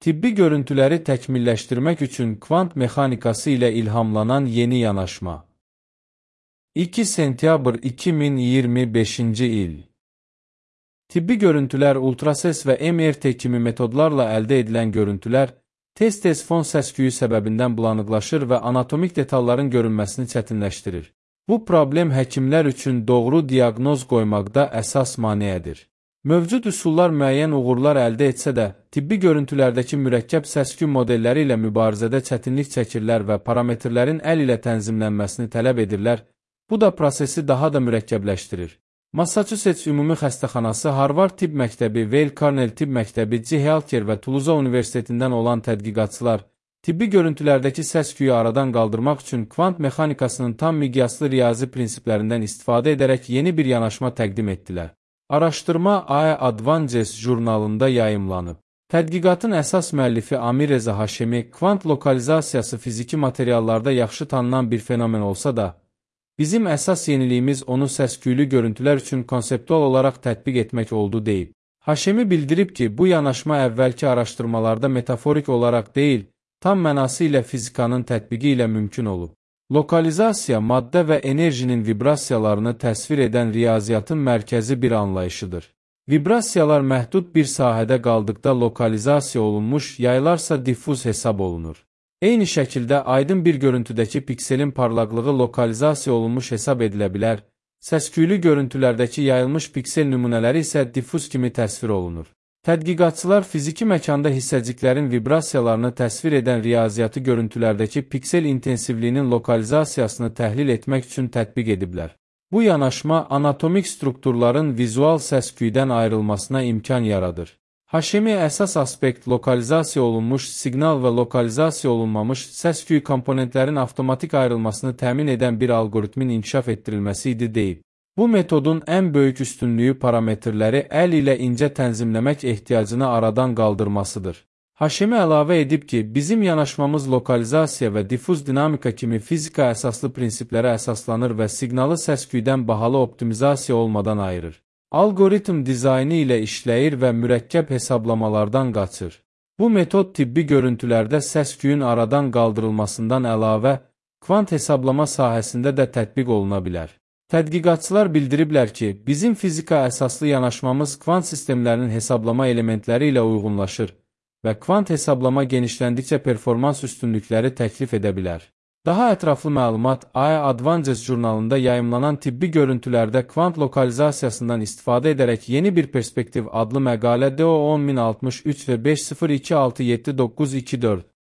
Tibbi görüntüləri təkmilləşdirmək üçün kvant mexanikası ilə ilhamlanan yeni yanaşma. 2 sentyabr 2025-ci il. Tibbi görüntülər ultrases və MRT kimi metodlarla əldə edilən görüntülər tez-tez fon səs-küyü səbəbindən bulanıqlaşır və anatomik detalların görünməsini çətinləşdirir. Bu problem həkimlər üçün doğru diaqnoz qoymaqda əsas maneədir. Mövcud üsullar müəyyən uğurlar əldə etsə də, tibbi görüntülərdəki mürəkkəb səs-küy modelləri ilə mübarizədə çətinlik çəkirlər və parametrlərin əl ilə tənzimlənməsini tələb edirlər. Bu da prosesi daha da mürəkkəbləşdirir. Massachusetts Ümumi Xəstəxanası, Harvard Tibb Məktəbi, Weill Cornell Tibb Məktəbi, G Healthcare və Tuluza Universitetindən olan tədqiqatçılar tibbi görüntülərdəki səs-küyü aradan qaldırmaq üçün kvant mexanikasının tam miqyaslı riyazi prinsiplərindən istifadə edərək yeni bir yanaşma təqdim etdilər. Araşdırma AI Advances jurnalında yayımlanıb. Tədqiqatın əsas müəllifi Amir Reza Haşemi, kvant lokalizasiyası fiziki materiallarda yaxşı tanınan bir fenomen olsa da, bizim əsas yeniliyimiz onu səs-küylü görüntülər üçün konseptual olaraq tətbiq etmək oldu deyib. Haşemi bildirib ki, bu yanaşma əvvəlki araşdırmalarda metaforik olaraq deyil, tam mənası ilə fizikanın tətbiqi ilə mümkün olub. Lokalizasiya, maddə və enerjinin vibrasiyalarını təsvir edən riyaziyyatın mərkəzi bir anlayışıdır. Vibrasiyalar məhdud bir sahədə qaldıqda lokalizasiya olunmuş, yaylarsa diffuz hesab olunur. Eyni şəkildə aydın bir görüntüdəki pikselin parlaqlığı lokalizasiya olunmuş hesab edilə bilər, səs-küylü görüntülərdəki yayılmış piksel nümunələri isə diffuz kimi təsvir olunur. Tədqiqatçılar fiziki məkanda hissəciklərin vibrasiyalarını təsvir edən riyaziyyatı görüntülərdəki piksel intensivliyinin lokalizasiyasını təhlil etmək üçün tətbiq ediblər. Bu yanaşma anatomik strukturların vizual səs-küydən ayrılmasına imkan yaradır. Haşemi əsas aspekt lokalizasiya olunmuş siqnal və lokalizasiya olunmamış səs-küy komponentlərin avtomatik ayrılmasını təmin edən bir algoritmin inkişaf etdirilməsi idi deyib. Bu metodun ən böyük üstünlüyü parametrləri əl ilə incə tənzimləmək ehtiyacını aradan qaldırmasıdır. Haşemi əlavə edib ki, bizim yanaşmamız lokalizasiya və diffuz dinamika kimi fizika əsaslı prinsiplərə əsaslanır və siqnalı səs-küydən bahalı optimizasiya olmadan ayırır. Algoritm dizaynı ilə işləyir və mürəkkəb hesablamalardan qaçır. Bu metod tibbi görüntülərdə səs-küyün aradan qaldırılmasından əlavə, kvant hesablama sahəsində də tətbiq oluna bilər. Tədqiqatçılar bildiriblər ki, bizim fizika əsaslı yanaşmamız kvant sistemlərinin hesablama elementləri ilə uyğunlaşır və kvant hesablama genişləndikcə performans üstünlükləri təklif edə bilər. Daha ətraflı məlumat AI Advances jurnalında yayımlanan tibbi görüntülərdə kvant lokalizasiyasından istifadə edərək yeni bir perspektiv adlı məqalə DO 10063 və 50267924